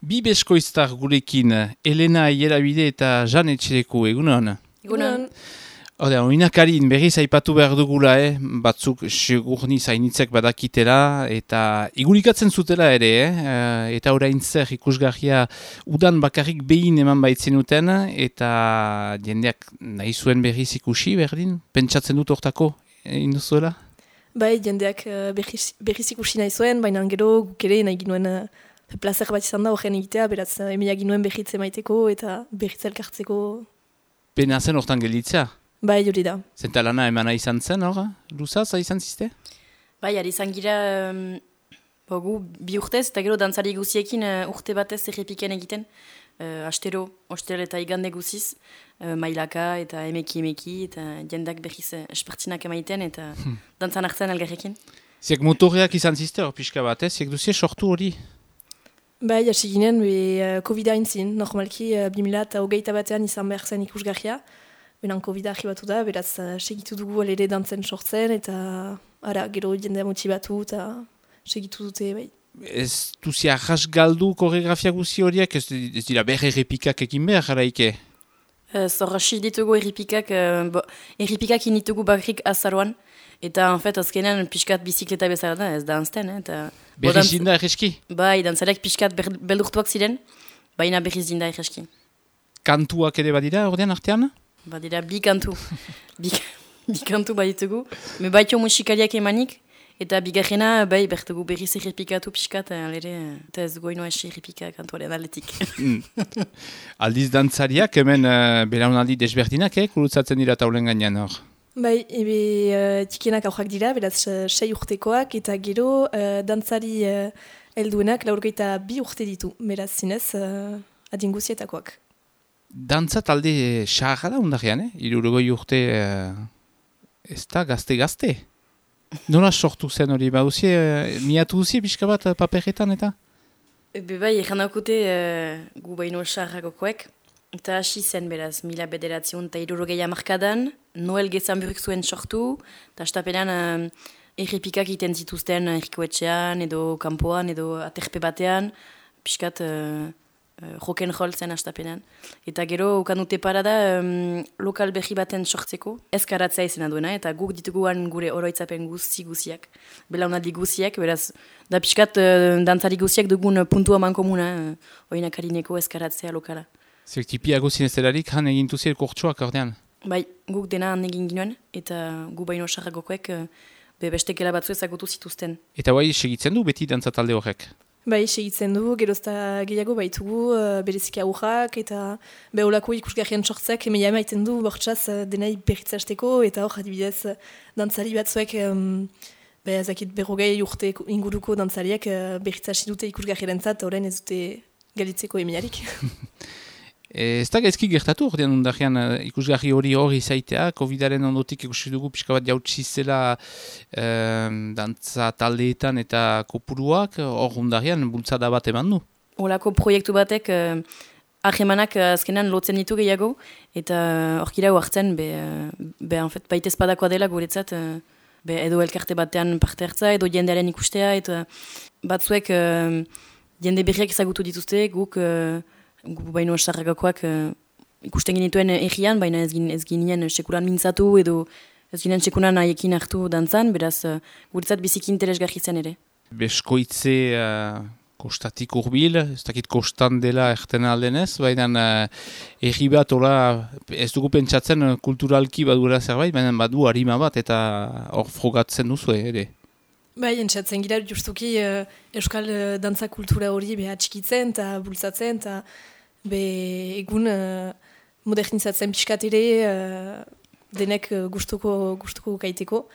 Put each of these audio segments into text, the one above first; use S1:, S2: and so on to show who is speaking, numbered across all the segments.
S1: Bi beskoiztar gurekin, Elena Ierabide eta Jan Etxereko, egunon?
S2: Egunon.
S1: Oinakarin berriz aipatu behar dugula, batzuk segurni zainitzek badakitela, eta igurikatzen zutela ere, eta orain zer ikusgarria udan bakarrik behin eman baitzenuten, eta jendeak nahi zuen berriz ikusi, berdin? Pentsatzen dut hortako, induzuela?
S2: Bai, jendeak berriz ikusi nahi zuen, baina gero guk ere nahi ginuen plazer bat izan da horren egitea, beraz emiak ginuen berritze maiteko eta berritze elkartzeko.
S1: Pena zen hortan gelditzea?
S2: Bai, hori da.
S1: Zentalana emana izan zen, hor? Luzaz, izan ziste?
S3: Bai, ari izan gira gu bi urtez, eta gero dantzari guziekin urte batez errepiken egiten. Astero, ostel eta igande guziz, mailaka eta emeki, eta jendak berriz espartzinak emaiten eta dantzan hartzen elgarrekin.
S1: Ziek motoreak izan ziste hor pixka batez, ziek duzie sortu hori?
S2: Bai, hasi ginen, COVID-a intzin, normalki 2008 batean izan behar zen ikusgarria. Benan COVID-a arribatu da, beraz segitu dugu alere dantzen sortzen, eta ara, gero jendea motibatu eta segitu dute, bai.
S1: Ez duzi arras galdu koreografia guzi horiek, ez dira behar errepikak ekin behar, jaraike?
S3: Zorrasi ditugu erripikak, erripikak initugu bakrik azaroan, eta en fait azkenean pixkat bizikleta bezala da, ez da anzten, eta...
S1: Berriz dinda erreski?
S3: Bai, dantzarek pixkat beldurtuak ziren, baina berriz dinda erreski.
S1: Kantuak ere badira, ordean artean?
S3: Badira, bi kantu. bi kantu baditugu. Me baito musikariak emanik, eta bigarrena, bai, bertugu berriz errepikatu pixkat, eta ez goino esi errepika kantuaren aldetik.
S1: Aldiz dantzariak, hemen belaunaldi desberdinak, kurutzatzen dira taulen gainean hor?
S2: Bai, txikienak aurrak dira, beraz 6 urtekoak, eta gero dantzari helduenak 42 urte ditu, beraz zinez adinguzietakoak.
S1: Dantza talde xarra da undarrean, 60 urte ez da gazte-gazte. Nola sortu zen hori, miatu duzie pixka bat paperetan eta?
S3: Bai, egan daukute gu baino xarragokoek. Eta hasi zen beraz, 1960 hamarkadan, Noel Gezamburuk zuen sortu, eta estapenean errepikak iten zituzten errikoetxean, edo kanpoan, edo aterpe batean, pixkat rock'n'roll zen estapenean. Eta gero, ukandute parada, lokal berri baten sortzeko, ezkaratzea izena duena, eta guk dituguan gure oroitzapen guziak, belaunaldi guziak, beraz, da pixkat dantzari guziak dugun puntua mankomuna, oinakarineko ezkaratzea lokala.
S1: Zer tipiago zinezelarik han egintuziel kortsuak ordean?
S3: Bai, guk dena han egin ginoen, eta gu baino sarragokoek bestekela batzu ezagutu zituzten. Eta
S1: bai, segitzen du beti dantza talde horrek?
S2: Bai, segitzen du, gerozta gehiago baitugu, bereziki aurrak, eta beholako ikusgarrien sortzak emeia emaiten du, bortxaz denai berritzasteko, eta hor adibidez dantzari batzuek, ezakit berrogei urte inguruko dantzariak berritzasi dute ikusgarrien zat, horrein ez dute galitzeko emeiarik.
S1: Ez da gaizki gertatu ordean undarrean ikusgarri hori zaitea, COVID-aren ondotik ikusi dugu pixka bat jautsi zela dantza taldeetan eta kopuruak, hor undarrean bultzada bat eman du.
S3: Olako proiektu batek ahemanak azkenan lotzen ditu gehiago, eta horkira hartzen, baita espadakoa dela guretzat, edo elkarte batean parte hartza, edo jendearen ikustea, eta batzuek jende berriak ezagutu dituzte, guk baino sarragakoak ikusten genituen egian, baina ez ginen sekuran mintzatu edo ez ginen sekuran haiekin hartu dantzan, beraz guretzat biziki interesgarri zen ere.
S1: Beskoitze kostatik urbil, ez dakit kostan dela erten aldenez, baina egi bat ez dugu pentsatzen kulturalki badura zerbait, baina badu harima bat eta hor frogatzen duzu ere.
S2: Bai, entzatzen gira justuki euskal dantza kultura hori txikitzen eta bultzatzen, eta egun modernizatzen pixkat ere denek gustuko gaiteko.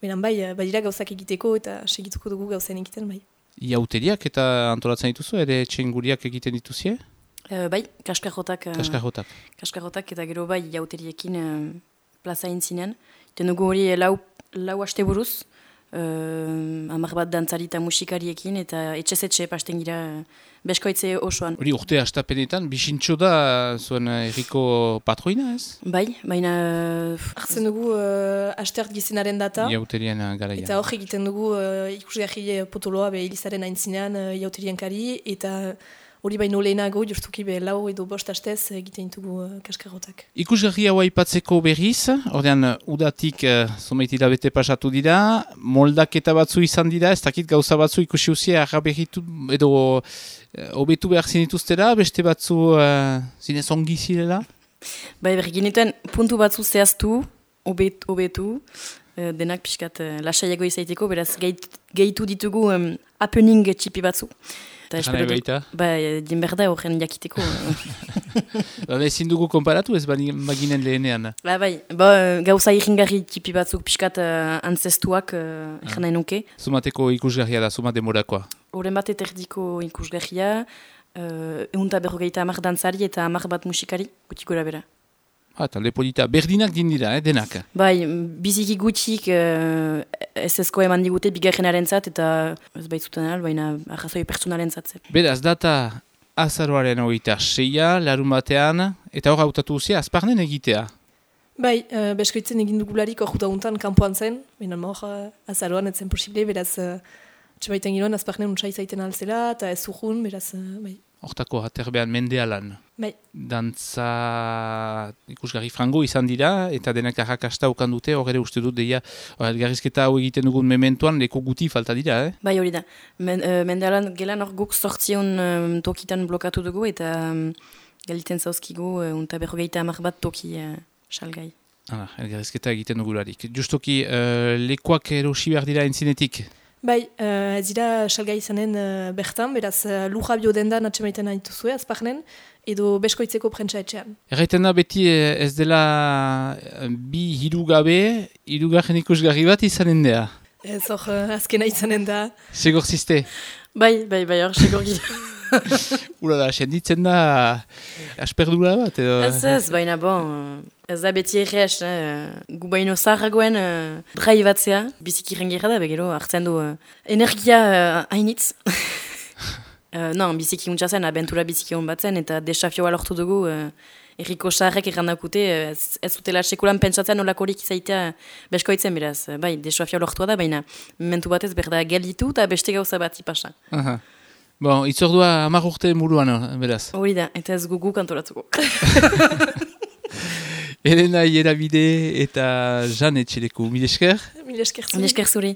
S2: Beran bai, badira gauzak egiteko eta segituko dugu gauzen egiten bai.
S1: Iauteriak eta antolatzen dituzu, ere txenguriak egiten dituzie?
S3: Bai, kaskarrotak.
S1: Kaskarrotak
S3: Eta gero bai, iauteriekin plaza intzinen. Iten dugu hori lau aste buruz, hamar bat dantzari eta musikariekin, eta etxe pasten gira beskoitze osoan.
S1: Hori urte hastapenetan, bisintxo da zuen erriko patroina ez?
S3: Bai, baina...
S2: Artzen dugu hastert gizenaren data.
S1: Iauterien garaia.
S2: Eta hor egiten dugu ikusgarri potoloa Elizaren aintzinean iauterien kari, eta hori baino lehenago, justuki be lau edo bost astez egiten ditugu kaskarrotak.
S1: Ikusgarri hau aipatzeko berriz, ordean udatik zomeitila bete pasatu dira, moldaketa batzu izan dira, ez dakit gauza batzu ikusi uzia arraberritu edo hobetu behar zinituztera, beste batzu zinez ongi zirela?
S3: Bai, berginituen puntu batzu zehaztu, hobetu, denak pixkat lasaiago izaiteko, beraz gehitu ditugu happening txipi batzu.
S1: Jana ebaita?
S3: Bai, dinberda horren jakiteko.
S1: Ezin dugu konparatu ez baginen lehenean?
S3: Bai, gauza irringarri txipi batzuk pixkat antzestuak egin nahi nuke.
S1: Zumateko ikusgarria da, zuma demorakoa?
S3: Horren bat eterdiko ikusgarria, 150 dantzari eta 10 bat musikari, guti gora bera.
S1: Talde polita, berdinak dindira, denak?
S3: Bai, biziki gutxik SS-ko eman digute bigarrenaren zat, eta ez baitzuten baina arrazoi personalen zatzen.
S1: Beraz, data azaroaren 26, larun batean, eta hor hautatu duzia, azparnen egitea?
S2: Bai, beskoitzen egin dugularik hor dauntan kanpoan zen, baina hor azaroan etzen posible, beraz, txabaiten giroan azparnen untsa izaiten alzela, eta ez urrun, beraz, bai.
S1: Hortako aterbean mendealan.
S2: Bai.
S1: Dantza ikusgarri frango izan dira, eta denak arrakasta okan dute, hor ere uste dut deia, elgarrizketa hau egiten dugun mementoan, leko guti falta dira,
S3: Bai, hori da. Mendealan gelan hor guk sortzion tokitan blokatu dugu, eta galiten zauzkigu, unta 50 bat toki salgai.
S1: Elgarrizketa egiten dugularik. Justoki, lekoak erosi behar dira entzinetik?
S2: Bai, ez dira salgai izanen bertan, beraz lurra biodendan atxemaiten dituzue azparnen, edo beskoitzeko prentsa etxean.
S1: Erraiten da beti ez dela bi hirugabe, hirugarren ikusgarri bat izanen da?
S2: Ez hor azkena izanen da.
S1: Segor ziste?
S3: Bai, hor segor gira.
S1: Ura da, senditzen da asperdura bat edo?
S3: Ez, baina ez da beti errez, gu baino zaharragoen drai batzea, biziki rengira da, begero hartzen du energia hainitz. Non, biziki untsa zen, abentura biziki hon batzen, eta desafioa lortu dugu, erriko zaharrek errandakute, ez zutela sekulan pentsatzen olakorik izaitea beskoitzen beraz. Bai, desafioa lortua da, baina momentu batez berda gelditu eta beste gauza bat ipasa.
S1: Bon, itzordua 10 urte muruan, beraz.
S3: Hori da, eta ez gugu kantoratuko.
S1: Elena Ierabide eta Jan Etxeleku, mil esker?
S2: Mil esker zuri.
S3: Mil esker zuri.